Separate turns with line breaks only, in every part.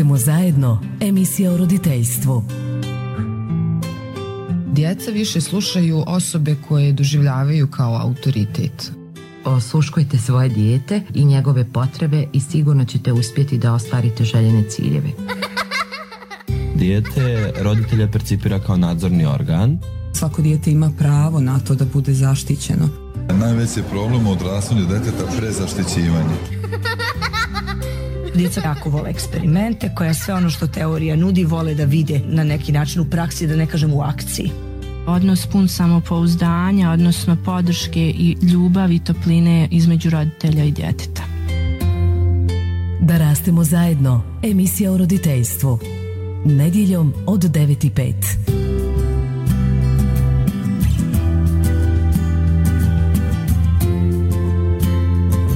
rastemo zajedno, emisija o roditeljstvu.
Djeca više slušaju osobe koje doživljavaju kao autoritet.
Osluškujte svoje dijete i njegove potrebe i sigurno ćete uspjeti da ostvarite željene ciljeve.
Dijete roditelja percipira kao nadzorni organ.
Svako dijete ima pravo na to da bude zaštićeno.
Najveći je problem u odrastanju djeteta prezaštićivanje.
Djeca jako vole eksperimente, koja sve ono što teorija nudi vole da vide na neki način u praksi, da ne kažem u akciji.
Odnos pun samopouzdanja, odnosno podrške i ljubavi i topline između roditelja i djeteta.
Da rastemo zajedno, emisija o roditeljstvu. Nedjeljom od 9:05.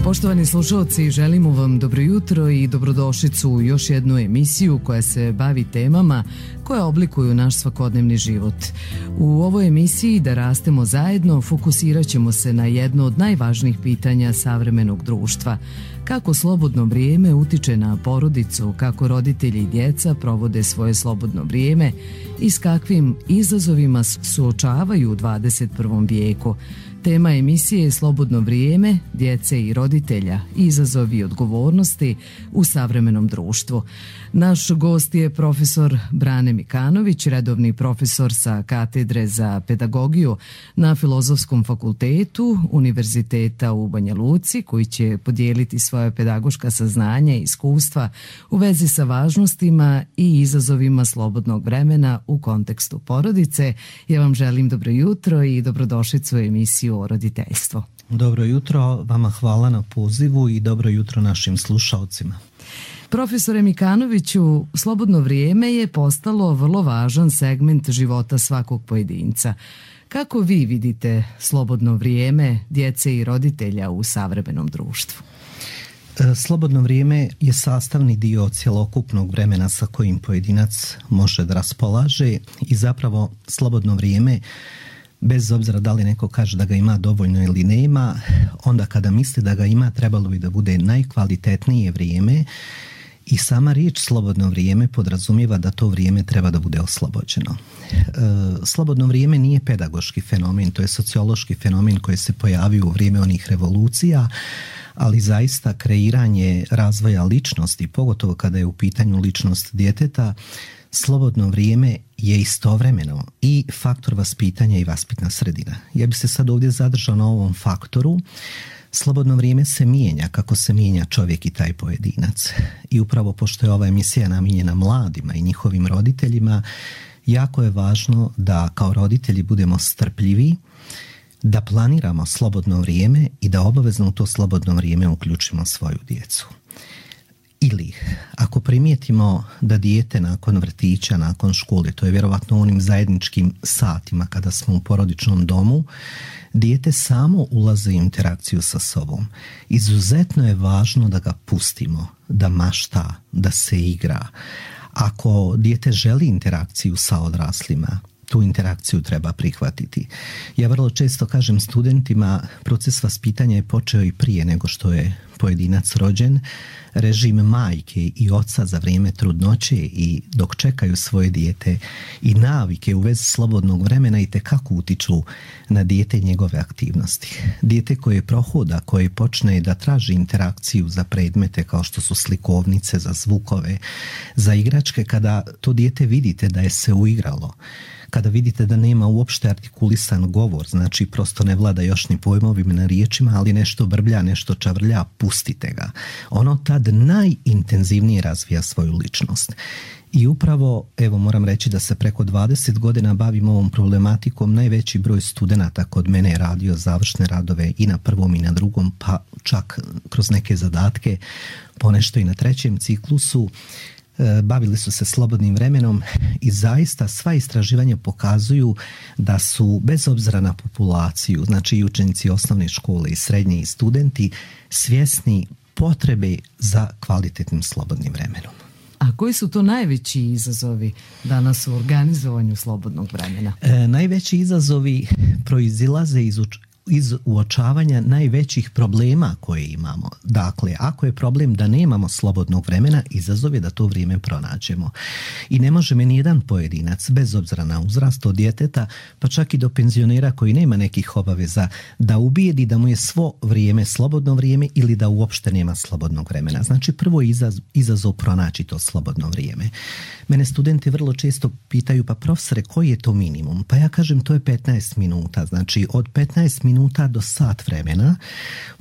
Poštovani slušalci, želimo vam dobro jutro i dobrodošlicu u još jednu emisiju koja se bavi temama koje oblikuju naš svakodnevni život. U ovoj emisiji Da rastemo zajedno fokusirat ćemo se na jedno od najvažnijih pitanja savremenog društva. Kako slobodno vrijeme utiče na porodicu, kako roditelji i djeca provode svoje slobodno vrijeme i s kakvim izazovima suočavaju u 21. vijeku. Tema emisije je slobodno vrijeme, djece i roditelja, izazovi i odgovornosti u savremenom društvu. Naš gost je profesor Brane Mikanović, redovni profesor sa katedre za pedagogiju na Filozofskom fakultetu Univerziteta u Banja Luci, koji će podijeliti svoje pedagoška saznanja i iskustva u vezi sa važnostima i izazovima slobodnog vremena u kontekstu porodice. Ja vam želim dobro jutro i dobrodošlicu u emisiju o roditeljstvu.
Dobro jutro, vama hvala na pozivu i dobro jutro našim slušalcima.
Profesore Mikanoviću, slobodno vrijeme je postalo vrlo važan segment života svakog pojedinca. Kako vi vidite slobodno vrijeme djece i roditelja u savremenom društvu?
Slobodno vrijeme je sastavni dio cjelokupnog vremena sa kojim pojedinac može da raspolaže i zapravo slobodno vrijeme, bez obzira da li neko kaže da ga ima dovoljno ili nema, onda kada misli da ga ima, trebalo bi da bude najkvalitetnije vrijeme i sama riječ slobodno vrijeme podrazumijeva da to vrijeme treba da bude oslobođeno. Slobodno vrijeme nije pedagoški fenomen, to je sociološki fenomen koji se pojavio u vrijeme onih revolucija, ali zaista kreiranje razvoja ličnosti, pogotovo kada je u pitanju ličnost djeteta, slobodno vrijeme je istovremeno i faktor vaspitanja i vaspitna sredina. Ja bih se sad ovdje zadržao na ovom faktoru. Slobodno vrijeme se mijenja kako se mijenja čovjek i taj pojedinac. I upravo pošto je ova emisija namijenjena mladima i njihovim roditeljima, jako je važno da kao roditelji budemo strpljivi, da planiramo slobodno vrijeme i da obavezno u to slobodno vrijeme uključimo svoju djecu. Ili, ako primijetimo da dijete nakon vrtića, nakon škole, to je vjerovatno u onim zajedničkim satima kada smo u porodičnom domu, dijete samo ulazi u interakciju sa sobom. Izuzetno je važno da ga pustimo, da mašta, da se igra. Ako dijete želi interakciju sa odraslima, tu interakciju treba prihvatiti. Ja vrlo često kažem studentima, proces vaspitanja je počeo i prije nego što je pojedinac rođen. Režim majke i oca za vrijeme trudnoće i dok čekaju svoje dijete i navike u vezi slobodnog vremena itekako utiču na dijete i njegove aktivnosti. Dijete koje prohoda, koje počne da traži interakciju za predmete kao što su slikovnice, za zvukove, za igračke, kada to dijete vidite da je se uigralo, kada vidite da nema uopšte artikulisan govor, znači prosto ne vlada još ni pojmovima na riječima, ali nešto brblja, nešto čavrlja, pustite ga. Ono tad najintenzivnije razvija svoju ličnost. I upravo, evo moram reći da se preko 20 godina bavim ovom problematikom. Najveći broj studenata kod mene je radio završne radove i na prvom i na drugom, pa čak kroz neke zadatke, ponešto i na trećem ciklusu. Bavili su se slobodnim vremenom i zaista sva istraživanja pokazuju da su, bez obzira na populaciju, znači i učenici osnovne škole i srednje i studenti, svjesni potrebe za kvalitetnim slobodnim vremenom.
A koji su to najveći izazovi danas u organizovanju slobodnog vremena?
Najveći izazovi proizilaze iz iz uočavanja najvećih problema koje imamo. Dakle, ako je problem da nemamo slobodnog vremena, izazov je da to vrijeme pronađemo. I ne može ni jedan pojedinac, bez obzira na uzrast, od djeteta, pa čak i do penzionera koji nema nekih obaveza, da ubijedi da mu je svo vrijeme slobodno vrijeme ili da uopšte nema slobodnog vremena. Znači, prvo je izazov pronaći to slobodno vrijeme. Mene studenti vrlo često pitaju, pa profesore, koji je to minimum? Pa ja kažem, to je 15 minuta. Znači, od 15 minuta do sat vremena,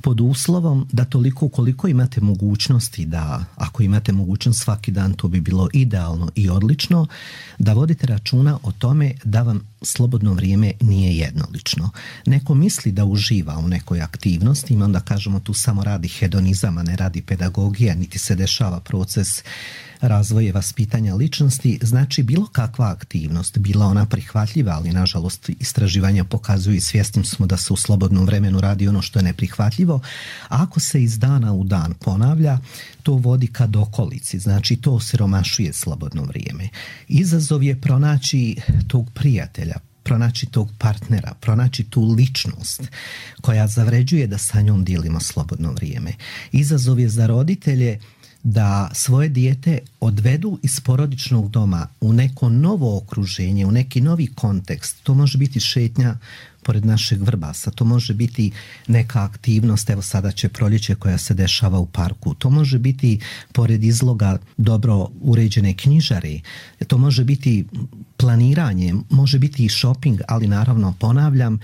pod uslovom da toliko koliko imate mogućnosti, da ako imate mogućnost svaki dan, to bi bilo idealno i odlično, da vodite računa o tome da vam slobodno vrijeme nije jednolično. Neko misli da uživa u nekoj aktivnosti, i onda kažemo tu samo radi hedonizam, a ne radi pedagogija, niti se dešava proces razvoja vaspitanja ličnosti. Znači, bilo kakva aktivnost, bila ona prihvatljiva, ali nažalost istraživanja pokazuju i svjesni smo da se u slobodnom vremenu radi ono što je neprihvatljivo, a ako se iz dana u dan ponavlja, to vodi ka dokolici, znači to osiromašuje slobodno vrijeme. Izazov je pronaći tog prijatelja, pronaći tog partnera, pronaći tu ličnost koja zavređuje da sa njom dijelimo slobodno vrijeme. Izazov je za roditelje da svoje dijete odvedu iz porodičnog doma u neko novo okruženje, u neki novi kontekst. To može biti šetnja pored našeg Vrbasa, to može biti neka aktivnost, evo sada će proljeće koja se dešava u parku, to može biti pored izloga dobro uređene knjižare, to može biti planiranje, može biti i shopping, ali naravno ponavljam,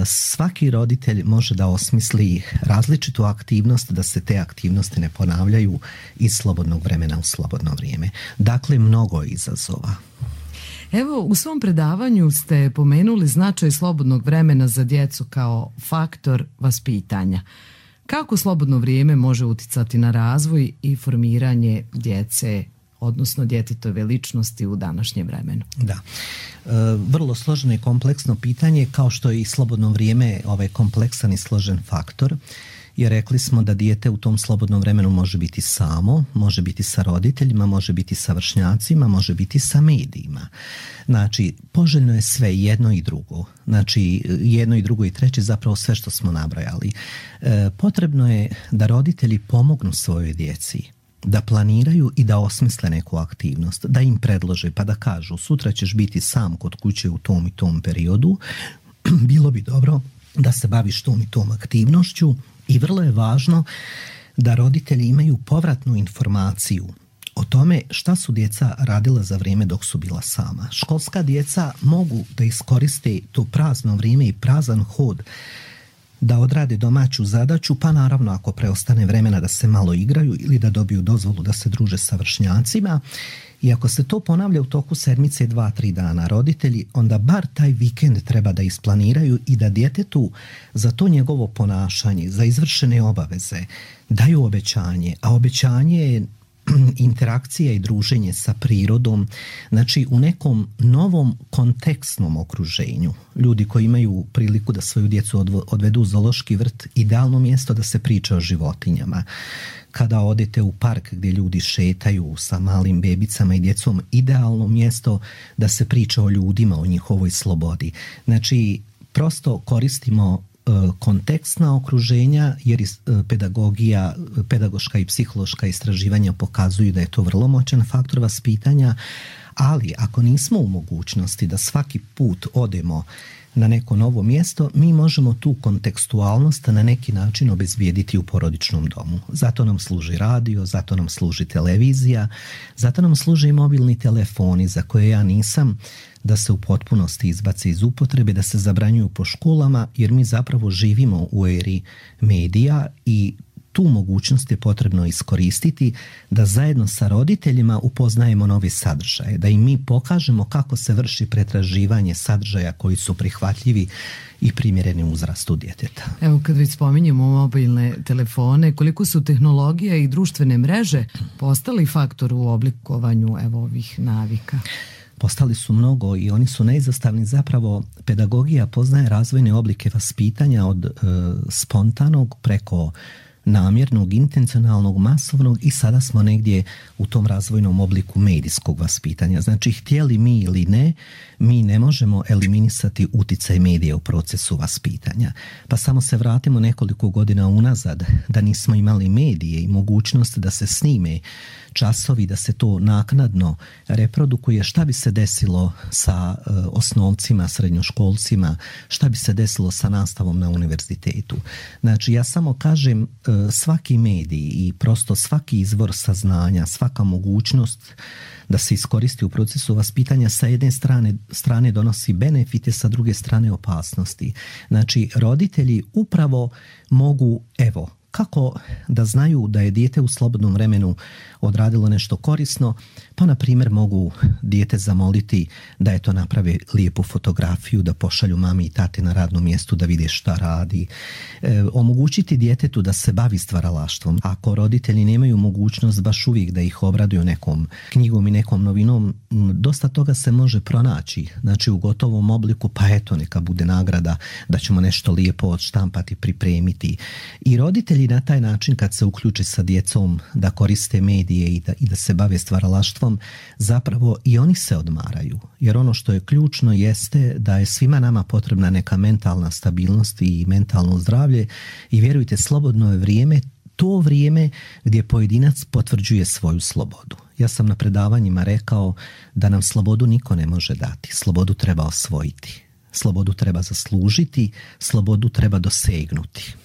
svaki roditelj može da osmisli različitu aktivnost, da se te aktivnosti ne ponavljaju iz slobodnog vremena u slobodno vrijeme. Dakle, mnogo izazova.
Evo, u svom predavanju ste pomenuli značaj slobodnog vremena za djecu kao faktor vaspitanja. Kako slobodno vrijeme može uticati na razvoj i formiranje djece, odnosno djetetove ličnosti u današnjem vremenu?
Da. Vrlo složeno i kompleksno pitanje, kao što je i slobodno vrijeme kompleksan i složen faktor, jer rekli smo da dijete u tom slobodnom vremenu može biti samo, može biti sa roditeljima, može biti sa vršnjacima, može biti sa medijima. Znači, poželjno je sve, jedno i drugo. Znači, jedno i drugo i treće, zapravo sve što smo nabrojali. Potrebno je da roditelji pomognu svojoj djeci, da planiraju i da osmisle neku aktivnost, da im predlože, pa da kažu, sutra ćeš biti sam kod kuće u tom i tom periodu, bilo bi dobro da se baviš tom i tom aktivnošću. I vrlo je važno da roditelji imaju povratnu informaciju o tome šta su djeca radila za vrijeme dok su bila sama. Školska djeca mogu da iskoriste to prazno vrijeme i prazan hod da odrade domaću zadaću, pa naravno ako preostane vremena da se malo igraju ili da dobiju dozvolu da se druže sa vršnjacima. I ako se to ponavlja u toku sedmice 2-3 dana roditelji, onda bar taj vikend treba da isplaniraju i da djetetu za to njegovo ponašanje, za izvršene obaveze daju obećanje, a obećanje je interakcija i druženje sa prirodom, znači u nekom novom kontekstnom okruženju. Ljudi koji imaju priliku da svoju djecu odvedu u zoološki vrt, idealno mjesto da se priča o životinjama. Kada odete u park gdje ljudi šetaju sa malim bebicama i djecom, idealno mjesto da se priča o ljudima, o njihovoj slobodi. Znači, prosto koristimo kontekstna okruženja, jer pedagogija, pedagoška i psihološka istraživanja pokazuju da je to vrlo moćan faktor vaspitanja, ali ako nismo u mogućnosti da svaki put odemo na neko novo mjesto, mi možemo tu kontekstualnost na neki način obezbijediti u porodičnom domu. Zato nam služi radio, zato nam služi televizija, zato nam služe i mobilni telefoni za koje ja nisam da se u potpunosti izbace iz upotrebe, da se zabranjuju po školama, jer mi zapravo živimo u eri medija i tu mogućnost je potrebno iskoristiti da zajedno sa roditeljima upoznajemo nove sadržaje, da im mi pokažemo kako se vrši pretraživanje sadržaja koji su prihvatljivi i primjereni uzrastu djeteta.
Evo, kad već spominjemo mobilne telefone, koliko su tehnologija i društvene mreže postali faktor u oblikovanju ovih navika?
Postali su mnogo i oni su neizostavni. Zapravo pedagogija poznaje razvojne oblike vaspitanja od spontanog preko namjernog, intencionalnog, masovnog i sada smo negdje u tom razvojnom obliku medijskog vaspitanja. Znači, htjeli mi ili ne, mi ne možemo eliminisati uticaj medija u procesu vaspitanja. Pa samo se vratimo nekoliko godina unazad, da nismo imali medije i mogućnost da se snime časovi, da se to naknadno reprodukuje, šta bi se desilo sa osnovcima, srednjoškolcima, šta bi se desilo sa nastavom na univerzitetu. Znači, ja samo kažem, svaki medij i prosto svaki izvor saznanja, svaka mogućnost da se iskoristi u procesu vaspitanja sa jedne strane donosi benefite, sa druge strane opasnosti. Znači, roditelji upravo mogu, kako da znaju da je dijete u slobodnom vremenu odradilo nešto korisno, pa na primjer mogu dijete zamoliti da to naprave lijepu fotografiju, da pošalju mami i tate na radnom mjestu da vide šta radi. Omogućiti djetetu da se bavi stvaralaštvom. Ako roditelji nemaju mogućnost baš uvijek da ih obraduju nekom knjigom i nekom novinom, dosta toga se može pronaći. Znači, u gotovom obliku, pa neka bude nagrada da ćemo nešto lijepo odštampati, pripremiti. I roditelji na taj način, kad se uključe sa djecom da koriste medije i da se bave stvaralaštvom, zapravo i oni se odmaraju. Jer ono što je ključno jeste da je svima nama potrebna neka mentalna stabilnost i mentalno zdravlje i vjerujte, slobodno je vrijeme to vrijeme gdje pojedinac potvrđuje svoju slobodu. Ja sam na predavanjima rekao da nam slobodu niko ne može dati. Slobodu treba osvojiti. Slobodu treba zaslužiti. Slobodu treba dosegnuti.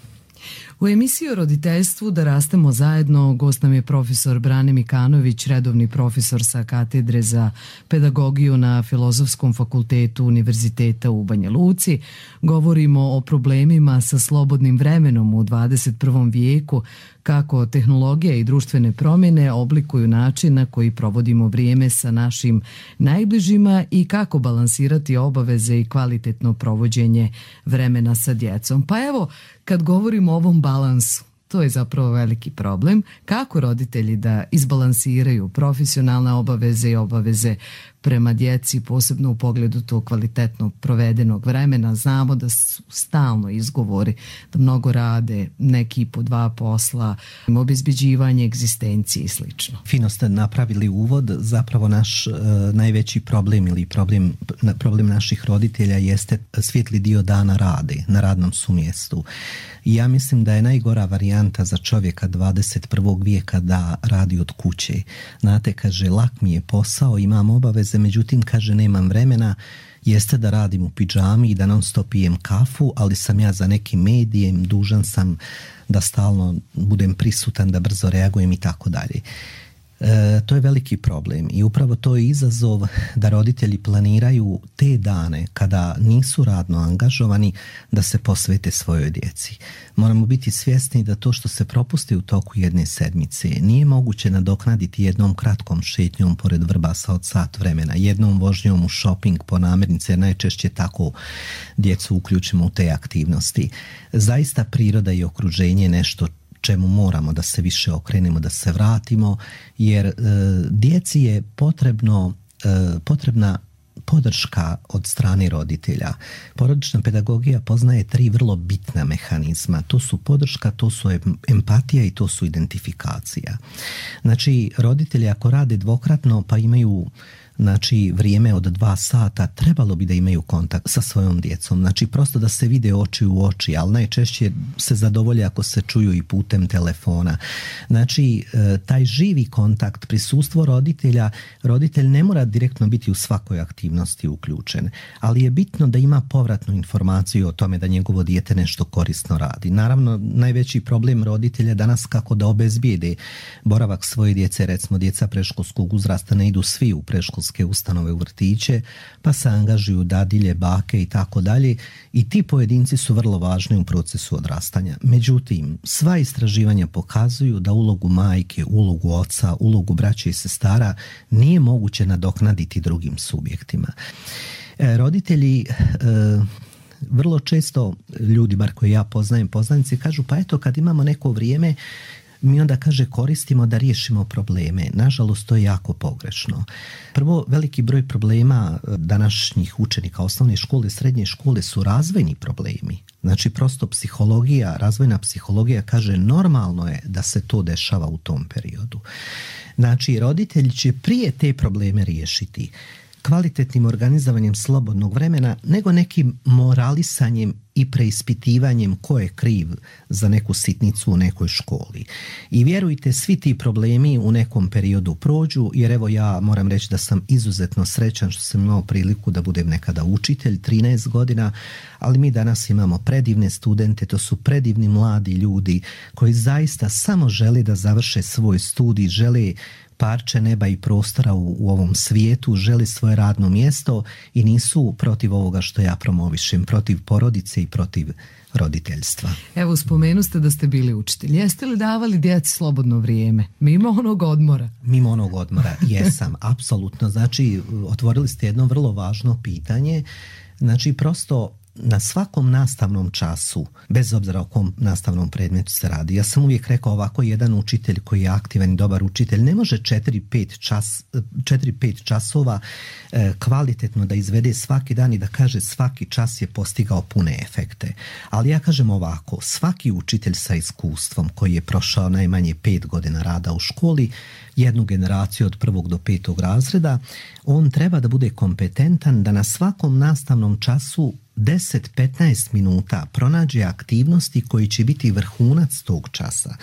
U emisiji o roditeljstvu Da rastemo zajedno gost nam je profesor Brane Mikanović, redovni profesor sa katedre za pedagogiju na Filozofskom fakultetu Univerziteta u Banja Luci. Govorimo o problemima sa slobodnim vremenom u 21. vijeku, kako tehnologija i društvene promjene oblikuju način na koji provodimo vrijeme sa našim najbližima i kako balansirati obaveze i kvalitetno provođenje vremena sa djecom. Pa evo, kad govorimo o ovom balansu, to je zapravo veliki problem. Kako roditelji da izbalansiraju profesionalne obaveze i obaveze prema djeci, posebno u pogledu tog kvalitetno provedenog vremena? Znamo da su stalno izgovori, da mnogo rade, neki po 2 posla, obezbeđivanje egzistencije i slično.
Fino ste napravili uvod. Zapravo naš najveći problem ili problem naših roditelja jeste svijetli dio dana rade na radnom su mjestu. I ja mislim da je najgora varijanta za čovjeka 21. vijeka da radi od kuće. Znate, kaže, lak mi je posao, imam obaveze, međutim, kaže, nemam vremena, jeste da radim u pidžami i da non stop pijem kafu, ali sam ja za nekim medijem, dužan sam da stalno budem prisutan, da brzo reagujem i tako dalje. To je veliki problem i upravo to je izazov da roditelji planiraju te dane kada nisu radno angažovani da se posvete svojoj djeci. Moramo biti svjesni da to što se propusti u toku jedne sedmice nije moguće nadoknaditi jednom kratkom šetnjom pored Vrbasa od sat vremena, jednom vožnjom u shopping po namirnice, jer najčešće tako djecu uključimo u te aktivnosti. Zaista priroda i okruženje je nešto čemu moramo da se više okrenemo, da se vratimo, jer djeci je potrebna podrška od strane roditelja. Porodična pedagogija poznaje 3 vrlo bitna mehanizma. To su podrška, to su empatija i to su identifikacija. Znači, roditelji ako rade dvokratno pa imaju vrijeme od 2 sata, trebalo bi da imaju kontakt sa svojom djecom. Znači, prosto da se vide oči u oči, ali najčešće se zadovolje ako se čuju i putem telefona. Znači, taj živi kontakt, prisustvo roditelja, roditelj ne mora direktno biti u svakoj aktivnosti uključen, ali je bitno da ima povratnu informaciju o tome da njegovo dijete nešto korisno radi. Naravno, najveći problem roditelja danas kako da obezbijede boravak svoje djece, recimo djeca predškolskog uzrasta ne idu svi u predškolske ustanove u vrtiće, pa se angažuju dadilje, bake i tako dalje, i ti pojedinci su vrlo važni u procesu odrastanja. Međutim, sva istraživanja pokazuju da ulogu majke, ulogu oca, ulogu braće i sestara nije moguće nadoknaditi drugim subjektima. Roditelji vrlo često, ljudi bar koje ja poznajem, poznanici, kažu pa eto kad imamo neko vrijeme mi onda kaže koristimo da riješimo probleme. Nažalost, to je jako pogrešno. Prvo, veliki broj problema današnjih učenika osnovne škole, srednje škole su razvojni problemi. Znači, prosto psihologija, razvojna psihologija kaže normalno je da se to dešava u tom periodu. Znači, roditelji će prije te probleme riješiti kvalitetnim organizovanjem slobodnog vremena nego nekim moralisanjem i preispitivanjem ko je kriv za neku sitnicu u nekoj školi. I vjerujte, svi ti problemi u nekom periodu prođu, jer evo ja moram reći da sam izuzetno srećan što sam imao priliku da budem nekada učitelj 13 godina, ali mi danas imamo predivne studente, to su predivni mladi ljudi koji zaista samo žele da završe svoj studij, žele parče neba i prostora u ovom svijetu, žele svoje radno mjesto i nisu protiv ovoga što ja promovišem, protiv porodice i protiv roditeljstva.
Evo, spomenu ste da ste bili učitelj. Jeste li davali djeci slobodno vrijeme? Mimo onog odmora?
Mimo onog odmora, jesam, apsolutno. Znači, otvorili ste jedno vrlo važno pitanje. Znači, prosto na svakom nastavnom času, bez obzira o kom nastavnom predmetu se radi, ja sam uvijek rekao ovako, jedan učitelj koji je aktivan i dobar učitelj ne može 4-5 časova kvalitetno da izvede svaki dan i da kaže svaki čas je postigao pune efekte. Ali ja kažem ovako, svaki učitelj sa iskustvom koji je prošao najmanje 5 godina rada u školi, jednu generaciju od 1. do 5. razreda, on treba da bude kompetentan da na svakom nastavnom času 10-15 minuta pronađe aktivnosti koji će biti vrhunac tog časa.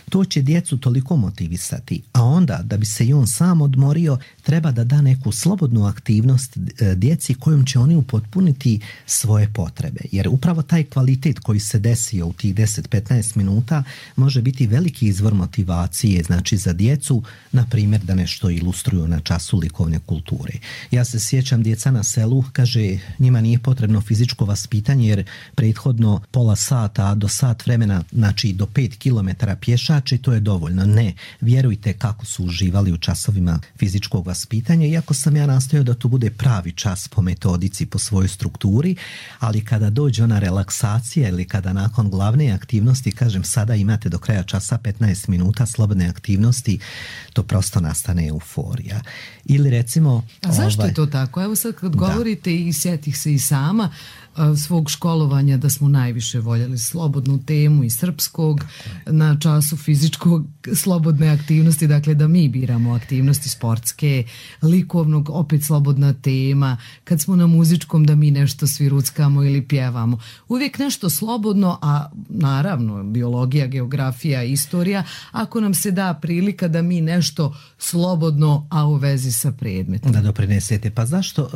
To će djecu toliko motivisati, a onda da bi se i on sam odmorio, treba da da neku slobodnu aktivnost djeci kojom će oni upotpuniti svoje potrebe. Jer upravo taj kvalitet koji se desio u tih 10-15 minuta može biti veliki izvor motivacije, znači za djecu, na primjer da nešto ilustruju na času likovne kulture. Ja se sjećam djeca na selu, kaže, njima nije potrebno fizičko vaspitanje jer prethodno pola sata do sat vremena, znači do 5 kilometara pješače, to je dovoljno. Ne, vjerujte kako su uživali u časovima fizičkog vaspitanja, iako sam ja nastojao da to bude pravi čas po metodici, po svojoj strukturi, ali kada dođe ona relaksacija ili kada nakon glavne aktivnosti, kažem sada imate do kraja časa 15 minuta slobodne aktivnosti, to prosto nastane euforija. Ili recimo...
A zašto je to tako? Evo sad kad govorite i sjetih se i sama svog školovanja da smo najviše voljeli slobodnu temu i srpskog na času fizičkog slobodne aktivnosti, dakle da mi biramo aktivnosti sportske, likovnog opet slobodna tema, kad smo na muzičkom da mi nešto svi ruckamo ili pjevamo. Uvijek nešto slobodno, a naravno biologija, geografija, istorija, ako nam se da prilika da mi nešto slobodno, a u vezi sa predmetom.
Da doprinesete. Pa zašto?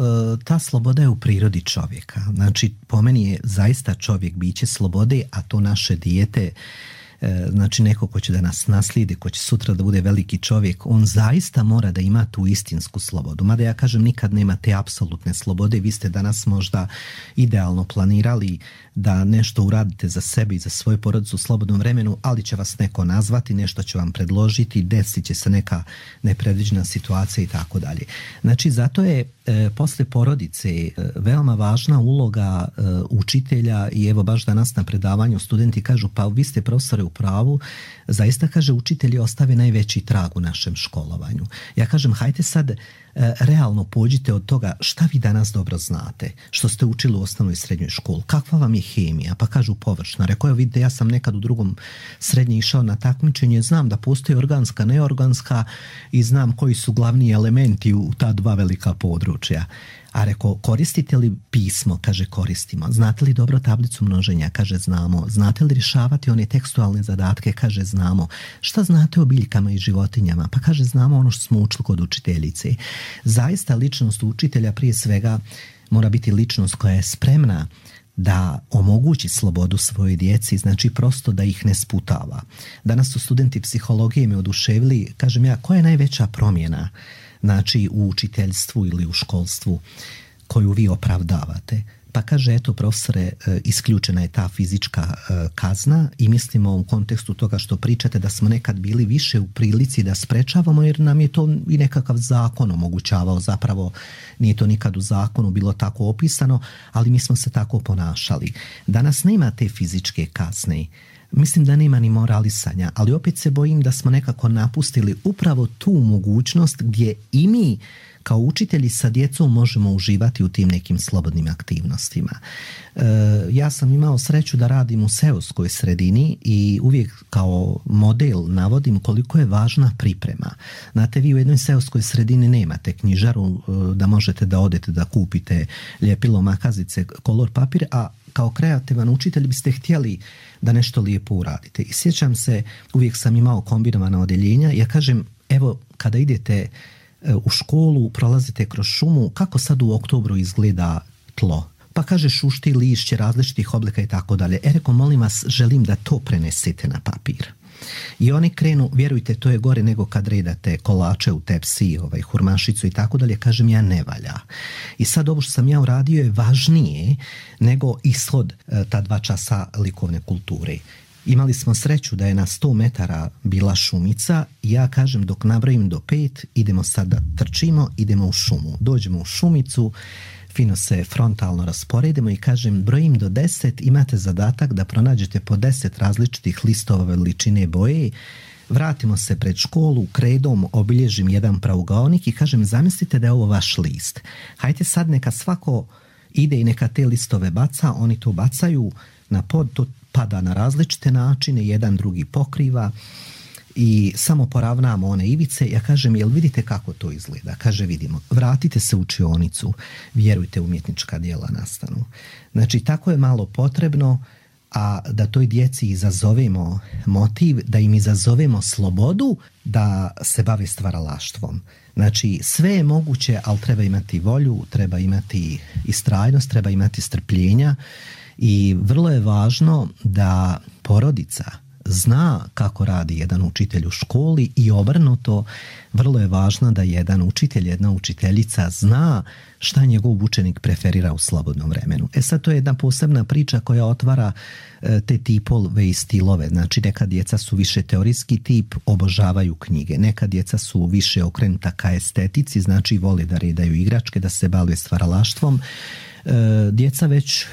Ta sloboda je u prirodi čovjeka. Znači, po meni je zaista čovjek biće slobode, a to naše dijete, znači neko ko će da nas naslijedi, ko će sutra da bude veliki čovjek, on zaista mora da ima tu istinsku slobodu. Mada ja kažem, nikad nema te apsolutne slobode. Vi ste danas možda idealno planirali da nešto uradite za sebe i za svoju porodicu u slobodnom vremenu, ali će vas neko nazvati, nešto će vam predložiti, desit će se neka nepredviđena situacija i tako dalje. Znači, zato je posle porodice veoma važna uloga učitelja i evo baš danas na predavanju studenti kažu, pa vi ste profesore u pravu, zaista kaže učitelji ostave najveći trag u našem školovanju. Ja kažem, hajte sad realno pođite od toga šta vi danas dobro znate, što ste učili u osnovnoj i srednjoj školi, kakva vam je hemija, pa kažu površna. Rekao je, vidite, ja sam nekad u drugom srednje išao na takmičenje, znam da postoji organska, neorganska i znam koji su glavni elementi u ta dva velika područja. A rekao, koristite li pismo? Kaže, koristimo. Znate li dobro tablicu množenja? Kaže, znamo. Znate li rješavati one tekstualne zadatke? Kaže, znamo. Šta znate o biljkama i životinjama? Pa kaže, znamo ono što smo učili kod učiteljice. Zaista ličnost učitelja prije svega mora biti ličnost koja je spremna da omogući slobodu svojoj djeci, znači prosto da ih ne sputava. Danas su studenti psihologije me oduševili, kažem ja, koja je najveća promjena, znači u učiteljstvu ili u školstvu koju vi opravdavate? Pa kaže, eto profesore, isključena je ta fizička kazna i mislimo u kontekstu toga što pričate da smo nekad bili više u prilici da sprečavamo jer nam je to i nekakav zakon omogućavao, zapravo nije to nikad u zakonu bilo tako opisano, ali mi smo se tako ponašali. Danas nema te fizičke kazne. mislim da nema ni moralisanja, ali opet se bojim da smo nekako napustili upravo tu mogućnost gdje i mi kao učitelji sa djecom možemo uživati u tim nekim slobodnim aktivnostima. Ja sam imao sreću da radim u seoskoj sredini i uvijek kao model navodim koliko je važna priprema. Znate, vi u jednoj seoskoj sredini nemate knjižaru da možete da odete da kupite ljepilo, makazice, kolor papir, a kao kreativan učitelj biste htjeli da nešto lijepo uradite. I sjećam se, uvijek sam imao kombinovana odjeljenja. Ja kažem, evo, kada idete u školu, prolazite kroz šumu, kako sad u oktobru izgleda tlo? Pa kaže šušti lišće različitih oblika i tako dalje. Reko, molim vas, želim da to prenesete na papir. I oni krenu, vjerujte, to je gore nego kad redate kolače u tepsi, hurmašicu i tako dalje. Kažem, ja ne valja. I sad ovo što sam ja uradio je važnije nego ishod ta 2 časa likovne kulture. Imali smo sreću da je na 100 metara bila šumica i ja kažem, dok nabrojim do 5, idemo sad da trčimo, idemo u šumu. Dođemo u šumicu, fino se frontalno rasporedimo i kažem, brojim do 10, imate zadatak da pronađete po 10 različitih listova veličine boje, vratimo se pred školu, kredom obilježim jedan pravougaonik i kažem, zamislite da je ovo vaš list. Hajde sad neka svako ide i neka te listove baca, oni to bacaju na pod, to pada na različite načine, jedan drugi pokriva i samo poravnamo one ivice. Ja kažem, jel vidite kako to izgleda? Kaže, vidimo. Vratite se u učionicu, vjerujte, umjetnička djela nastanu. Znači, tako je malo potrebno, a da toj djeci izazovemo motiv, da im izazovemo slobodu da se bave stvaralaštvom. Znači, sve je moguće, ali treba imati volju, treba imati istrajnost, treba imati strpljenja i vrlo je važno da porodica zna kako radi jedan učitelj u školi i obrnuto, vrlo je važno da jedan učitelj, jedna učiteljica zna šta njegov učenik preferira u slobodnom vremenu. Sad to je jedna posebna priča koja otvara te tipove i stilove. Znači, neka djeca su više teorijski tip, obožavaju knjige. Neka djeca su više okrenuta ka estetici, znači vole da redaju igračke, da se bave stvaralaštvom. Djeca već,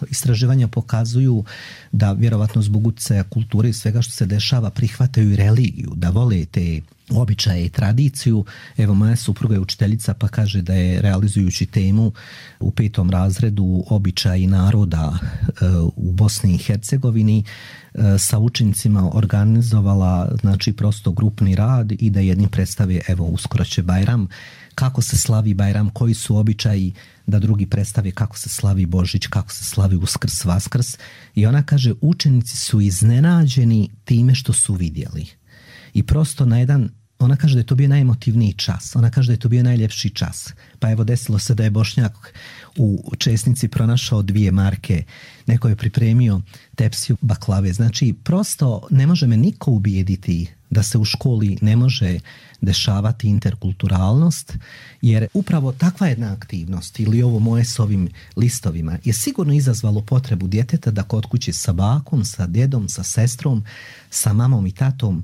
istraživanja pokazuju da vjerovatno zbog utjecaja kulture i svega što se dešava prihvataju i religiju, da vole te običaje i tradiciju. Evo, moja supruga je učiteljica pa kaže da je realizujući temu u 5. razredu običaji naroda u Bosni i Hercegovini sa učenicima organizovala, znači, prosto grupni rad i da jedni predstave, evo, uskoro će Bajram, kako se slavi Bajram, koji su običaji, da drugi predstave kako se slavi Božić, kako se slavi Uskrs, Vaskrs. I ona kaže, učenici su iznenađeni time što su vidjeli. I prosto na jedan, ona kaže da je to bio najemotivniji čas, ona kaže da je to bio najljepši čas. Pa evo, desilo se da je Bošnjak u Česnici pronašao 2 marke, neko je pripremio tepsiju baklave. Znači, prosto ne može me niko ubijediti da se u školi ne može dešavati interkulturalnost, jer upravo takva jedna aktivnost ili ovo moje s ovim listovima je sigurno izazvalo potrebu djeteta da kod kuće sa bakom, sa djedom, sa sestrom, sa mamom i tatom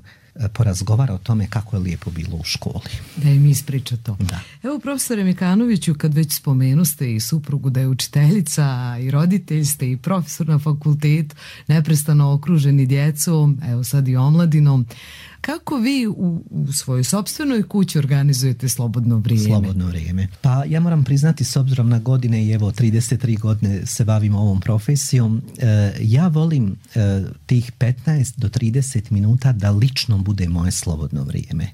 porazgovara o tome kako je lijepo bilo u školi.
Da im ispriča to.
Da.
Evo, profesore Mikanoviću, kad već spomenuste i suprugu da je učiteljica i roditelj ste i profesor na fakultetu, neprestano okruženi djecom, evo sad i omladinom, kako vi u svojoj sopstvenoj kući organizujete slobodno vrijeme?
Slobodno vrijeme. Pa ja moram priznati, s obzirom na godine i evo 33 godine se bavim ovom profesijom, ja volim tih 15 do 30 minuta da lično bude moje slobodno vrijeme.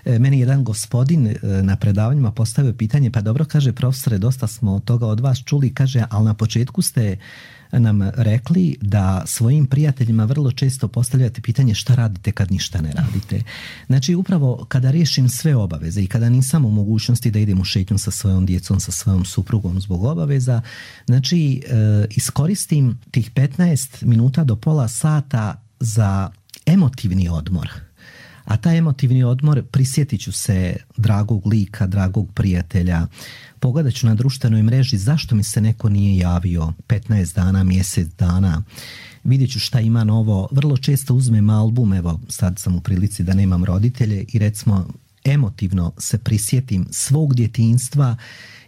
Meni jedan gospodin na predavanjima postavio pitanje, pa dobro, kaže, profesore, dosta smo toga od vas čuli, kaže, ali na početku ste nam rekli da svojim prijateljima vrlo često postavljate pitanje šta radite kad ništa ne radite. Znači, upravo kada riješim sve obaveze i kada nisam u mogućnosti da idem u šetnju sa svojom djecom, sa svojom suprugom zbog obaveza, znači, iskoristim tih 15 minuta do pola sata za emotivni odmor. A taj emotivni odmor, prisjetit ću se dragog lika, dragog prijatelja, pogledat ću na društvenoj mreži zašto mi se neko nije javio 15 dana, mjesec dana, vidjet ću šta ima novo. Vrlo često uzmem album, evo sad sam u prilici da nemam roditelje i recimo emotivno se prisjetim svog djetinjstva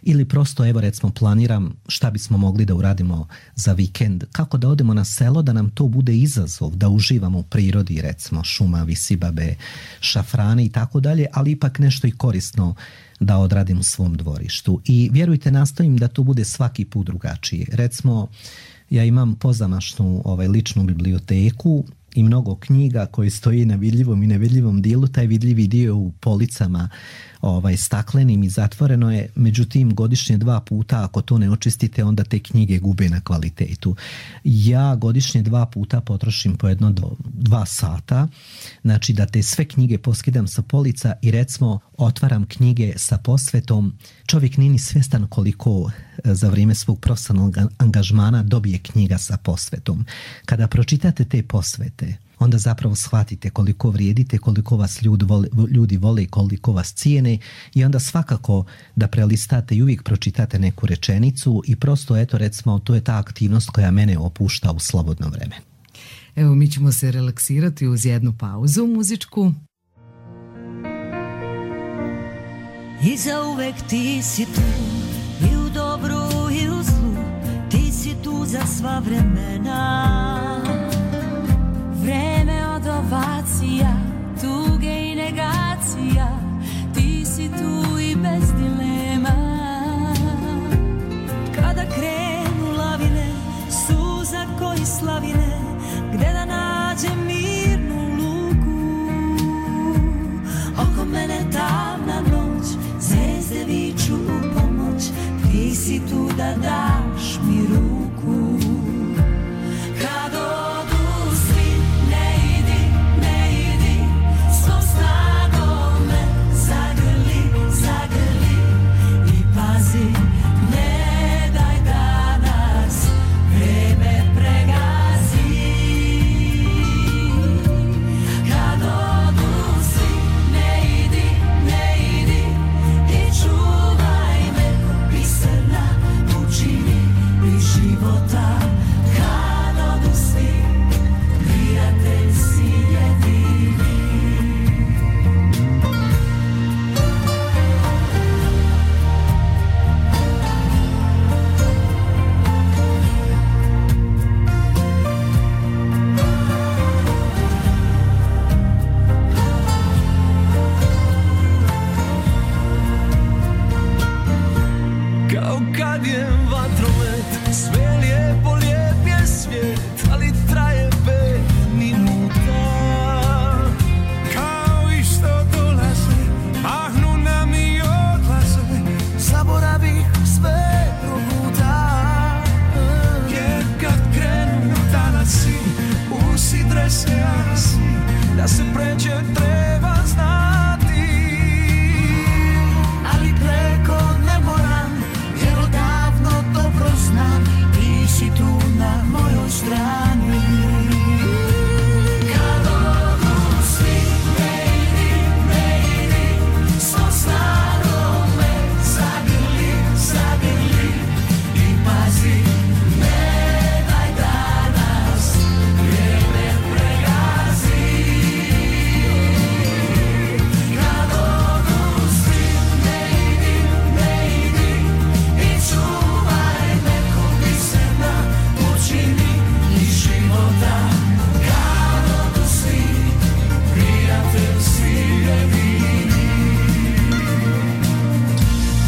ili prosto evo recimo planiram šta bismo mogli da uradimo za vikend, kako da odemo na selo, da nam to bude izazov, da uživamo u prirodi, recimo šuma, visibabe, šafrane i tako dalje, ali ipak nešto i korisno da odradim u svom dvorištu. I vjerujte, nastojim da to bude svaki put drugačije. Recimo, ja imam pozamašnu ličnu biblioteku i mnogo knjiga koje stoji na vidljivom i nevidljivom dijelu. Taj vidljivi dio u policama staklenim i zatvoreno je, međutim godišnje 2 puta ako to ne očistite onda te knjige gube na kvalitetu. Ja godišnje 2 puta potrošim po 1-2 sata, znači da te sve knjige poskidam sa polica i recimo otvaram knjige sa posvetom. Čovjek nije ni svjestan koliko za vrijeme svog profesionalnog angažmana dobije knjiga sa posvetom. Kada pročitate te posvete, onda zapravo shvatite koliko vrijedite, koliko vas ljudi vole i koliko vas cijene, i onda svakako da prelistate i uvijek pročitate neku rečenicu i prosto eto recimo to je ta aktivnost koja mene opušta u slobodno vreme.
Evo, mi ćemo se relaksirati uz jednu pauzu muzičku.
I zauvek ti si tu, i u dobru i u zlu, ti si tu za sva vremena. Vreme od ovacija, tuge i negacija, ti si tu i bez dilema. Kada krenu lavine, suza koji slavine, gde da nađem mirnu luku. Oko mene tamna noć, zvezde viču u pomoć, ti si tu da daš mi ruku. Kad odu svi, ne idi, svom snagom me zagrli i pazi, ne daj da nas vreme pregazi. Kad odu svi, ne idi i čuvaj me ko biserna, učini mi života. Kad odu svi, prijatelj si jedini.
Kao kad je vatromet, sve lijepo, lijep je svijet, ali traje 5 minuta. Kao i što dolaze, mahnu nam i odlaze, zaboravih sve probuta. Jer kad krenu tanasi, usidre se asi, da se pređe treba znati. Ali preko ne moram, jer odavno dobro znam, ti si tu na mojoj strani. Kad odu svi, ne idi, svom snagom me zagrli i pazi, ne daj da nas vrijeme pregazi. Kad odu svi, ne idi i čuvaj me ko biserna, učini mi života. Kad odu svi, prijatelj si jedini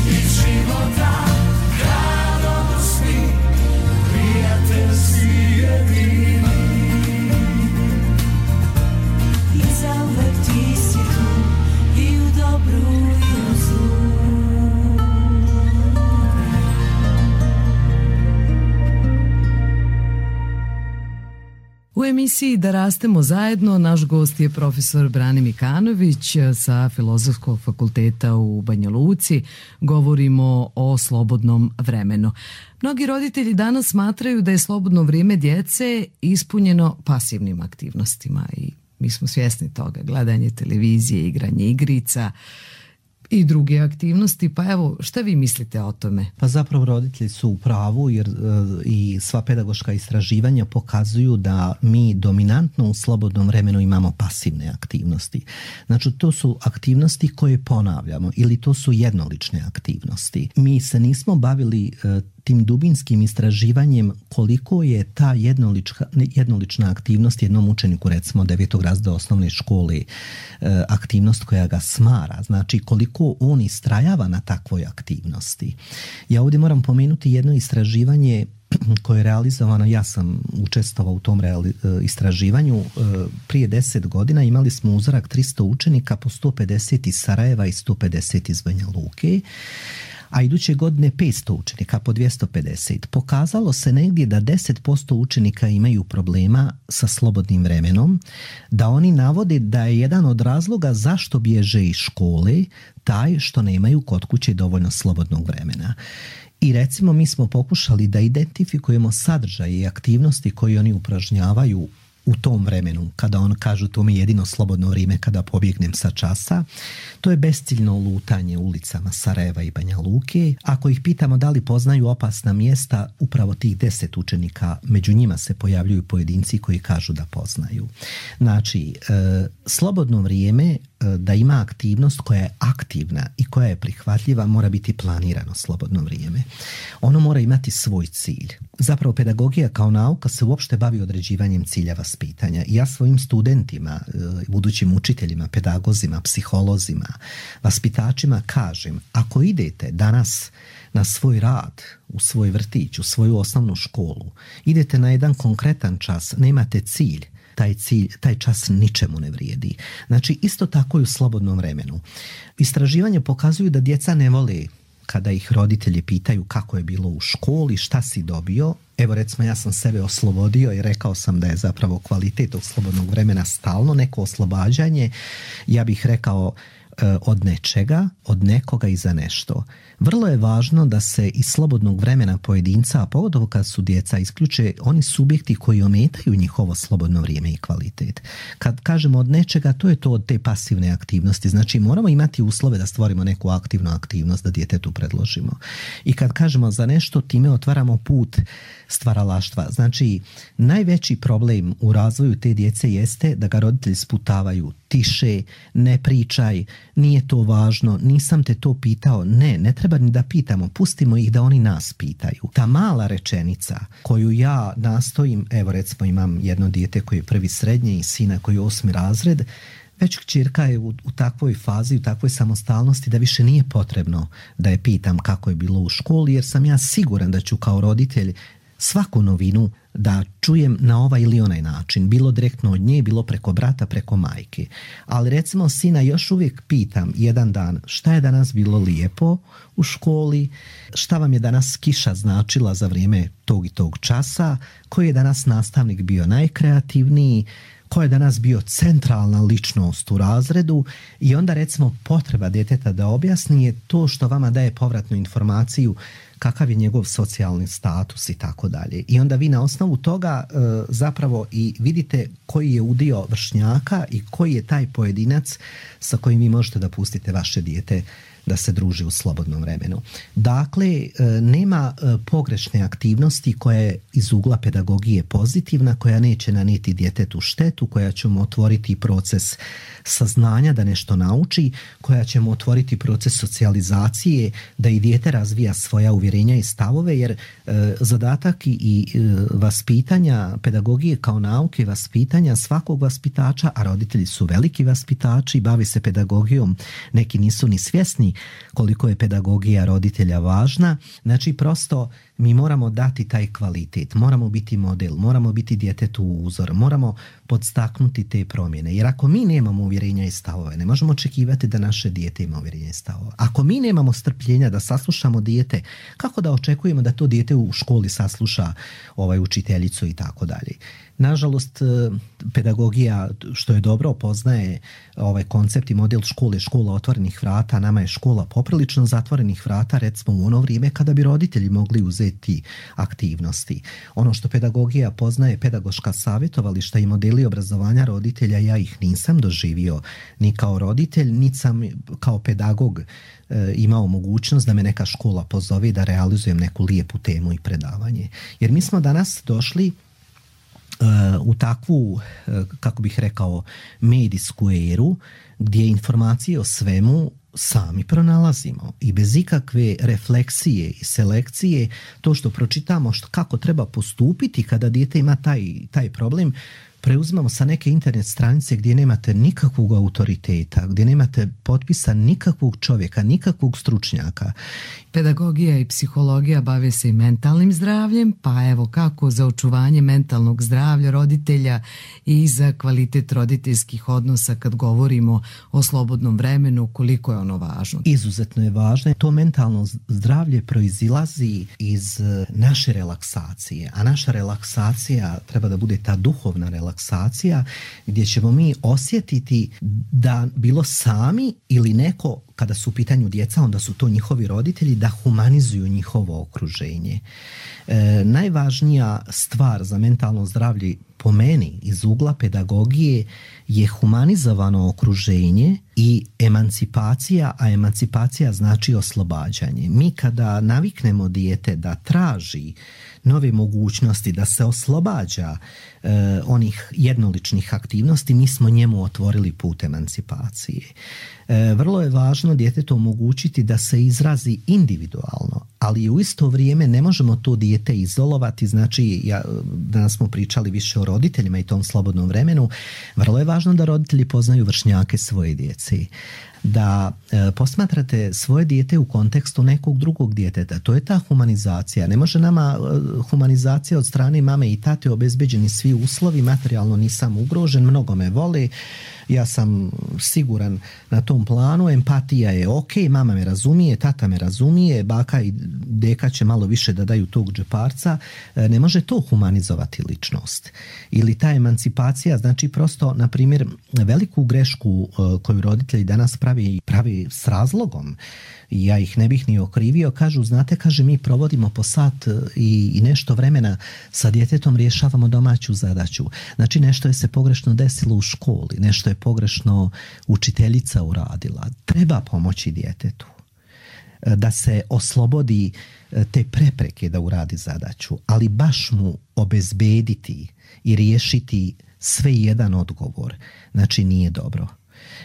iz života. Kad odu svi, prijatelj si jedini. I zauvek ti si tu, i u dobru i u zlu.
U emisiji Da rastemo zajedno naš gost je profesor Brane Mikanović sa Filozofskog fakulteta u Banja Luci. Govorimo o slobodnom vremenu. Mnogi roditelji danas smatraju da je slobodno vrijeme djece ispunjeno pasivnim aktivnostima i mi smo svjesni toga. Gledanje televizije, igranje igrica i druge aktivnosti, pa evo, šta vi mislite o tome?
Pa zapravo roditelji su u pravu jer i sva pedagoška istraživanja pokazuju da mi dominantno u slobodnom vremenu imamo pasivne aktivnosti. Znači to su aktivnosti koje ponavljamo ili to su jednolične aktivnosti. Mi se nismo bavili tim dubinskim istraživanjem koliko je ta jednolična aktivnost jednom učeniku, recimo 9. razreda osnovne škole, aktivnost koja ga smara, znači koliko on istrajava na takvoj aktivnosti. Ja ovdje moram pomenuti jedno istraživanje koje je realizovano, ja sam učestvovao u tom istraživanju prije 10 godina. Imali smo uzorak 300 učenika, po 150 iz Sarajeva i 150 iz Banja Luke, a iduće godine 500 učenika, po 250. Pokazalo se negdje da 10% učenika imaju problema sa slobodnim vremenom, da oni navode da je jedan od razloga zašto bježe iz škole taj što nemaju kod kuće dovoljno slobodnog vremena. I recimo mi smo pokušali da identifikujemo sadržaje i aktivnosti koje oni upražnjavaju u tom vremenu, kada on kažu to mi je jedino slobodno vrijeme kada pobjegnem sa časa. To je besciljno lutanje ulicama Sarajeva i Banja Luke. Ako ih pitamo da li poznaju opasna mjesta, upravo tih 10 učenika, među njima se pojavljuju pojedinci koji kažu da poznaju. Znači, slobodno vrijeme da ima aktivnost koja je aktivna i koja je prihvatljiva mora biti planirano slobodno vrijeme. Ono mora imati svoj cilj. Zapravo pedagogija kao nauka se uopšte bavi određivanjem cilja vaspitanja. I ja svojim studentima, budućim učiteljima, pedagozima, psiholozima, vaspitačima kažem, ako idete danas na svoj rad, u svoj vrtić, u svoju osnovnu školu, idete na jedan konkretan čas, nemate cilj, taj čas ničemu ne vrijedi. Znači, isto tako i u slobodnom vremenu. Istraživanja pokazuju da djeca ne vole kada ih roditelji pitaju kako je bilo u školi, šta si dobio. Evo recimo ja sam sebe oslobodio i rekao sam da je zapravo kvalitet od slobodnog vremena stalno neko oslobađanje. Ja bih rekao od nečega, od nekoga i za nešto. Vrlo je važno da se iz slobodnog vremena pojedinca, a pogotovo kad su djeca, isključe oni subjekti koji ometaju njihovo slobodno vrijeme i kvalitet. Kad kažemo od nečega, to je to od te pasivne aktivnosti. Znači moramo imati uslove da stvorimo neku aktivnu aktivnost, da djetetu predložimo. I kad kažemo za nešto, time otvaramo put stvaralaštva. Znači, najveći problem u razvoju te djece jeste da ga roditelji sputavaju: tiše, ne pričaj, nije to važno, nisam te to pitao. Ne treba ni da pitamo, pustimo ih da oni nas pitaju. Ta mala rečenica koju ja nastojim, evo recimo imam jedno dijete koje je prvi srednje i sina koji je 8. razred, već kćerka je u takvoj fazi, u takvoj samostalnosti da više nije potrebno da je pitam kako je bilo u školi, jer sam ja siguran da ću kao roditelj svaku novinu da čujem na ovaj ili onaj način, bilo direktno od nje, bilo preko brata, preko majke. Ali recimo sina još uvijek pitam jedan dan šta je danas bilo lijepo u školi, šta vam je danas kiša značila za vrijeme tog i tog časa, koji je danas nastavnik bio najkreativniji, ko je danas bio centralna ličnost u razredu, i onda recimo potreba djeteta da objasni je to što vama daje povratnu informaciju kakav je njegov socijalni status i tako dalje. I onda vi na osnovu toga zapravo i vidite koji je udio vršnjaka i koji je taj pojedinac sa kojim vi možete da pustite vaše dijete da se druži u slobodnom vremenu. Dakle, nema pogrešne aktivnosti koja je iz ugla pedagogije pozitivna, koja neće nanijeti djetetu štetu, koja će mu otvoriti proces saznanja da nešto nauči, koja će mu otvoriti proces socijalizacije, da i dijete razvija svoja uvjerenja i stavove, jer zadatak i vaspitanja pedagogije kao nauke, vaspitanja svakog vaspitača, a roditelji su veliki vaspitači, bavi se pedagogijom, neki nisu ni svjesni koliko je pedagogija roditelja važna. Znači prosto mi moramo dati taj kvalitet, moramo biti model, moramo biti djetetu uzor, moramo podstaknuti te promjene. Jer ako mi nemamo uvjerenja i stavove, ne možemo očekivati da naše dijete ima uvjerenja i stavove. Ako mi nemamo strpljenja da saslušamo dijete, kako da očekujemo da to dijete u školi sasluša učiteljicu i tako dalje. Nažalost, pedagogija, što je dobro, poznaje ovaj koncept i model škole, škola otvorenih vrata. Nama je škola poprilično zatvorenih vrata, recimo u ono vrijeme kada bi roditelji mogli uzeti poduzeti aktivnosti. Ono što pedagogija poznaje, pedagoška savjetovališta i modeli obrazovanja roditelja, ja ih nisam doživio ni kao roditelj, niti sam kao pedagog imao mogućnost da me neka škola pozove da realizujem neku lijepu temu i predavanje. Jer mi smo danas došli u takvu, kako bih rekao, medijsku eru gdje informacije o svemu sami pronalazimo i bez ikakve refleksije i selekcije to što pročitamo kako treba postupiti kada dijete ima taj problem preuzimamo sa neke internet stranice gdje nemate nikakvog autoriteta, gdje nemate potpisa nikakvog čovjeka, nikakvog stručnjaka.
Pedagogija i psihologija bave se i mentalnim zdravljem, pa evo kako za očuvanje mentalnog zdravlja roditelja i za kvalitet roditeljskih odnosa kad govorimo o slobodnom vremenu, koliko je ono važno?
Izuzetno je važno. To mentalno zdravlje proizilazi iz naše relaksacije, a naša relaksacija treba da bude ta duhovna relaksacija gdje ćemo mi osjetiti da bilo sami ili neko, kada su u pitanju djeca, onda su to njihovi roditelji, da humanizuju njihovo okruženje. Najvažnija stvar za mentalno zdravlje po meni iz ugla pedagogije je humanizovano okruženje i emancipacija, a emancipacija znači oslobađanje. Mi kada naviknemo dijete da traži nove mogućnosti, da se oslobađa onih jednoličnih aktivnosti, mi smo njemu otvorili put emancipacije. Vrlo je važno djetetu omogućiti da se izrazi individualno, ali u isto vrijeme ne možemo to dijete izolovati. Znači, danas smo pričali više o roditeljima i tom slobodnom vremenu. Vrlo je važno da roditelji poznaju vršnjake svoje djece, da posmatrate svoje dijete u kontekstu nekog drugog djeteta. To je ta humanizacija. Ne može nama humanizacija od strane mame i tate, obezbeđeni svi uslovi, materijalno nisam ugrožen, mnogo me vole, ja sam siguran na tom planu, empatija je ok, mama me razumije, tata me razumije, baka i deka će malo više da daju tog džeparca. Ne može to humanizovati ličnost. Ili ta emancipacija, znači prosto, na primjer, veliku grešku koju roditelji danas pravi s razlogom, i ja ih ne bih ni okrivio, kažu, znate, kaže, mi provodimo po sat i nešto vremena sa djetetom, rješavamo domaću zadaću. Znači, nešto je se pogrešno desilo u školi, nešto je pogrešno učiteljica uradila. Treba pomoći djetetu da se oslobodi te prepreke da uradi zadaću, ali baš mu obezbediti i riješiti sve jedan odgovor, znači nije dobro.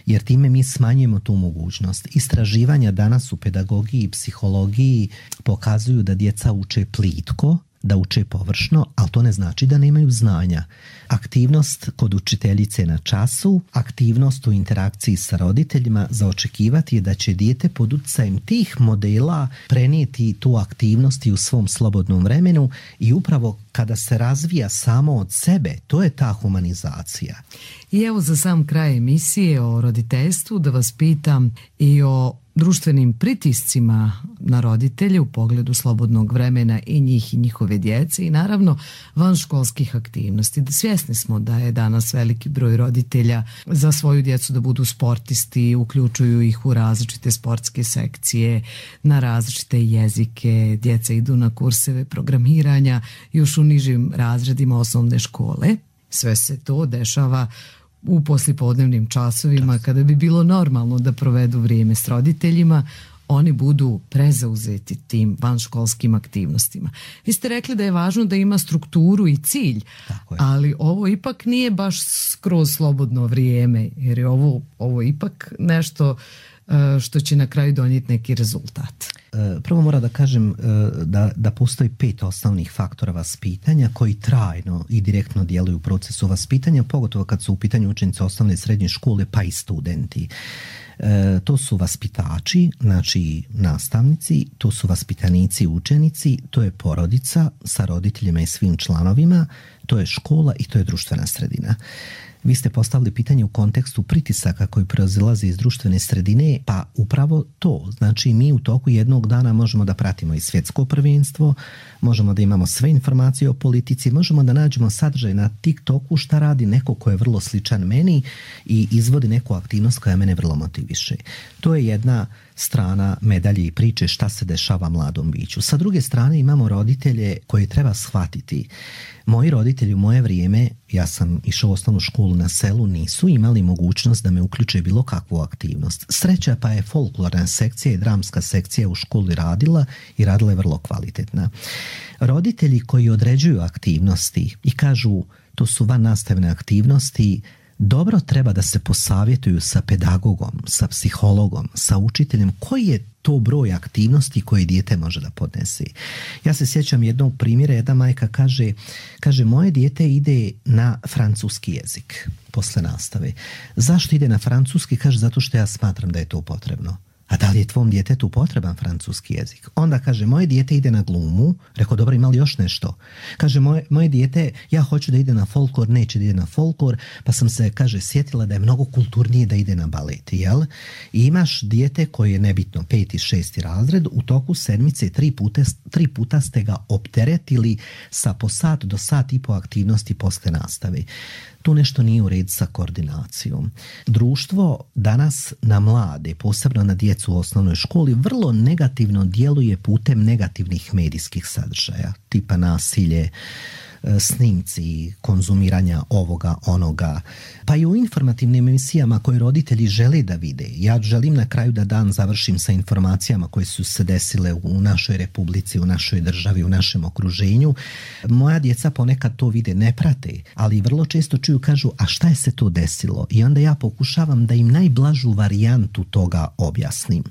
Jer time mi smanjujemo tu mogućnost. Istraživanja danas u pedagogiji i psihologiji pokazuju da djeca uče plitko, da uče površno, ali to ne znači da nemaju znanja. Aktivnost kod učiteljice na času, aktivnost u interakciji sa roditeljima, za očekivati je da će dijete pod utjecajem tih modela prenijeti tu aktivnost i u svom slobodnom vremenu i upravo kada se razvija samo od sebe, to je ta humanizacija.
I evo za sam kraj emisije o roditeljstvu da vas pitam i o društvenim pritiscima na roditelje u pogledu slobodnog vremena i njih i njihove djece i naravno vanškolskih aktivnosti. Svjesni smo da je danas veliki broj roditelja za svoju djecu da budu sportisti, uključuju ih u različite sportske sekcije, na različite jezike, djeca idu na kurseve programiranja još u nižim razredima osnovne škole. Sve se to dešava u poslijepodnevnim časovima kada bi bilo normalno da provedu vrijeme s roditeljima, oni budu prezauzeti tim vanškolskim aktivnostima. Vi ste rekli da je važno da ima strukturu i cilj, ali ovo ipak nije baš skroz slobodno vrijeme, jer je ovo ipak nešto što će na kraju donijeti neki rezultat.
Prvo moram da kažem da postoji 5 osnovnih faktora vaspitanja koji trajno i direktno djeluju u procesu vaspitanja, pogotovo kad su u pitanju učenici osnovne i srednje škole, pa i studenti. To su vaspitači, znači nastavnici, to su vaspitanici i učenici, to je porodica sa roditeljima i svim članovima, to je škola i to je društvena sredina. Vi ste postavili pitanje u kontekstu pritisaka koji proizilaze iz društvene sredine, pa upravo to. Znači mi u toku jednog dana možemo da pratimo i svjetsko prvenstvo, možemo da imamo sve informacije o politici, možemo da nađemo sadržaj na TikToku šta radi neko ko je vrlo sličan meni i izvodi neku aktivnost koja mene vrlo motiviše. To je jedna strana medalje i priče šta se dešava mladom biću. Sa druge strane imamo roditelje koje treba shvatiti. Moji roditelji u moje vrijeme, ja sam išao u osnovnu školu na selu, nisu imali mogućnost da me uključe bilo kakvu aktivnost. Sreća pa je folklorna sekcija i dramska sekcija u školi radila i radila je vrlo kvalitetna. Roditelji koji određuju aktivnosti i kažu to su van nastavne aktivnosti, dobro treba da se posavjetuju sa pedagogom, sa psihologom, sa učiteljem koji je to broj aktivnosti koje dijete može da podnese. Ja se sjećam jednog primjera, jedna majka kaže moje dijete ide na francuski jezik posle nastave. Zašto ide na francuski? Kaže zato što ja smatram da je to potrebno. A da li je tvom djetetu potreban francuski jezik? Onda kaže, moje dijete ide na glumu. Rekao, dobro, ima li još nešto? Kaže, moje dijete, ja hoću da ide na folklor, neće da ide na folklor, pa sam se, kaže, sjetila da je mnogo kulturnije da ide na balet, jel? I imaš dijete koje je nebitno 5. i 6. razred, u toku sedmice 3 puta ste ga opteretili sa po sat do sat i po aktivnosti posle nastave. Tu nešto nije u redu sa koordinacijom. Društvo danas na mlade, posebno na djecu u osnovnoj školi, vrlo negativno djeluje putem negativnih medijskih sadržaja, tipa nasilje, snimci, konzumiranja ovoga, onoga, pa i u informativnim emisijama koje roditelji žele da vide. Ja želim na kraju da dan završim sa informacijama koje su se desile u našoj republici, u našoj državi, u našem okruženju. Moja djeca ponekad to vide, ne prate, ali vrlo često čuju, kažu, a šta je se to desilo? I onda ja pokušavam da im najblažu varijantu toga objasnim.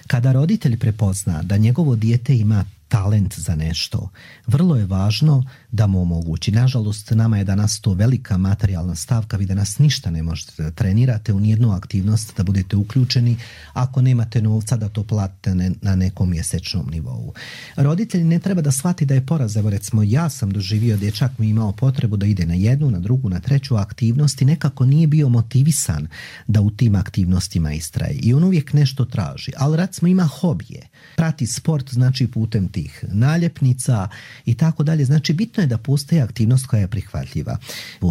Kada roditelj prepozna da njegovo dijete ima talent za nešto, vrlo je važno da mu omogući. Nažalost, nama je danas to velika materijalna stavka, vi danas ništa ne možete da trenirate u nijednu aktivnost, da budete uključeni ako nemate novca da to platite na nekom mjesečnom nivou. Roditelji ne treba da shvati da je poraz. Evo recimo, ja sam doživio, dječak mi imao potrebu da ide na jednu, na drugu, na treću aktivnost i nekako nije bio motivisan da u tim aktivnostima istraje. I on uvijek nešto traži. Ali recimo ima hobije. Prati sport, znači putem tih naljepnica i tako dalje. Znači bitno je da postoji aktivnost koja je prihvatljiva.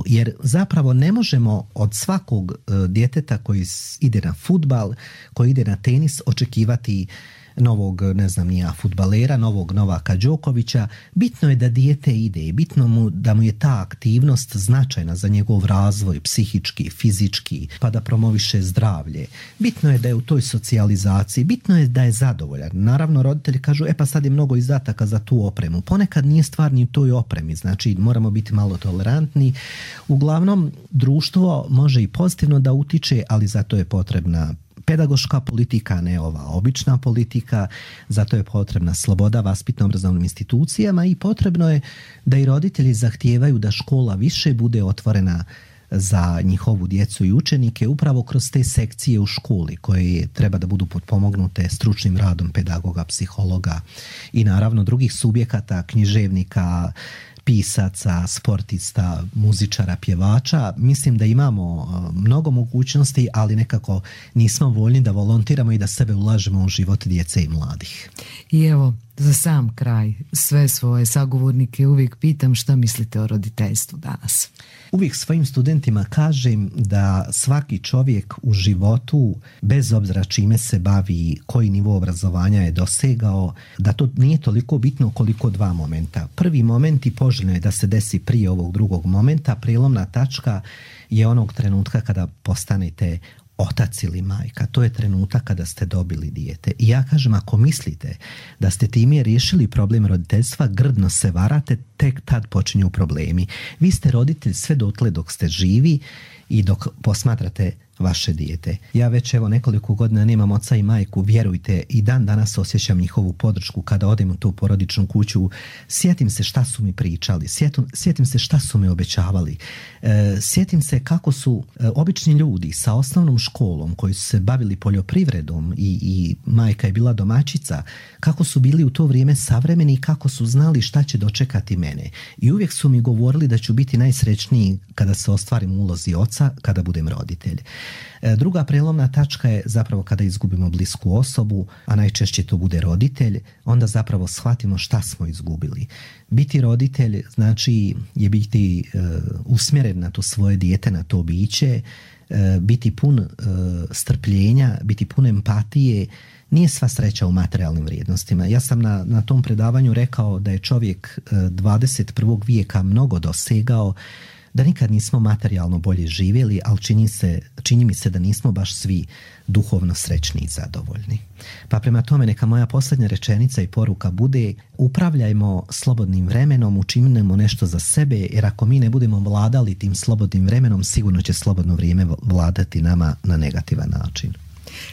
Jer zapravo ne možemo od svakog djeteta koji ide na fudbal, koji ide na tenis, očekivati novog, ne znam ni ja, fudbalera, novog Novaka Đokovića. Bitno je da dijete ide, bitno mu da mu je ta aktivnost značajna za njegov razvoj, psihički, fizički, pa da promoviše zdravlje. Bitno je da je u toj socijalizaciji, bitno je da je zadovoljan. Naravno, roditelji kažu, pa sad je mnogo izdataka za tu opremu. Ponekad nije stvar ni u toj opremi, znači moramo biti malo tolerantni. Uglavnom, društvo može i pozitivno da utiče, ali zato je potrebna pedagoška politika, ne ova obična politika, zato je potrebna sloboda vaspitno-obrazovnim institucijama i potrebno je da i roditelji zahtijevaju da škola više bude otvorena za njihovu djecu i učenike upravo kroz te sekcije u školi koje treba da budu potpomognute stručnim radom pedagoga, psihologa i naravno drugih subjekata, književnika, pisaca, sportista, muzičara, pjevača. Mislim da imamo mnogo mogućnosti, ali nekako nismo voljni da volontiramo i da sebe ulažemo u život djece i mladih.
I evo, za sam kraj, sve svoje sagovornike uvijek pitam šta mislite o roditeljstvu danas.
Uvijek svojim studentima kažem da svaki čovjek u životu, bez obzira čime se bavi, koji nivo obrazovanja je dosegao, da to nije toliko bitno koliko dva momenta. Prvi moment i poželjno je da se desi prije ovog drugog momenta. Prijelomna tačka je onog trenutka kada postanete otac ili majka. To je trenutak kada ste dobili dijete. I ja kažem, ako mislite da ste time riješili problem roditeljstva, grdno se varate, tek tad počinju problemi. Vi ste roditelj sve dotle dok ste živi i dok posmatrate vaše dijete. Ja već evo nekoliko godina nemam oca i majku, vjerujte, i dan danas osjećam njihovu podršku kada odem u tu porodičnu kuću. Sjetim se šta su mi pričali, sjetim se šta su mi obećavali, sjetim se kako su obični ljudi sa osnovnom školom koji su se bavili poljoprivredom i majka je bila domaćica, kako su bili u to vrijeme savremeni i kako su znali šta će dočekati mene. I uvijek su mi govorili da ću biti najsrećniji kada se ostvarim u ulozi oca, kada budem roditelj. Druga prelomna tačka je zapravo kada izgubimo blisku osobu, a najčešće to bude roditelj, onda zapravo shvatimo šta smo izgubili. Biti roditelj znači je biti usmjeren na to svoje dijete, na to biće, biti pun strpljenja, biti pun empatije. Nije sva sreća u materijalnim vrijednostima. Ja sam na tom predavanju rekao da je čovjek 21. vijeka mnogo dosegao, da nikad nismo materijalno bolje živjeli, ali čini mi se da nismo baš svi duhovno srećni i zadovoljni. Pa prema tome neka moja posljednja rečenica i poruka bude: upravljajmo slobodnim vremenom, učinimo nešto za sebe, jer ako mi ne budemo vladali tim slobodnim vremenom, sigurno će slobodno vrijeme vladati nama na negativan način.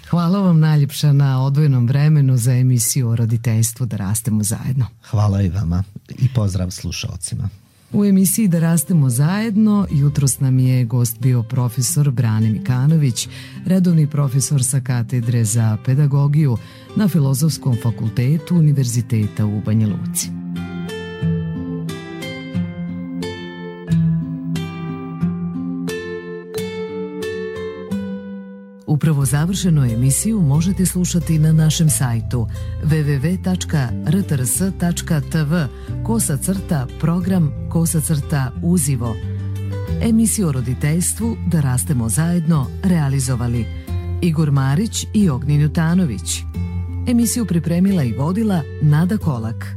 Hvala vam najljepša na odvojenom vremenu za emisiju o roditeljstvu Da rastemo zajedno.
Hvala i vama i pozdrav slušalcima.
U emisiji Da rastemo zajedno jutros nam je gost bio profesor Brane Mikanović, redovni profesor sa katedre za pedagogiju na Filozofskom fakultetu Univerziteta u Banja Luci. Upravo završenu emisiju možete slušati na našem sajtu www.rtrs.tv/program/uzivo. Emisiju o roditeljstvu Da rastemo zajedno realizovali Igor Marić i Ognjen Jutanović. Emisiju pripremila i vodila Nada Kolak.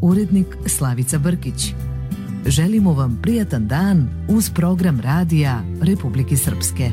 Urednik Slavica Brkić. Želimo vam prijatan dan uz program radija Republike Srpske.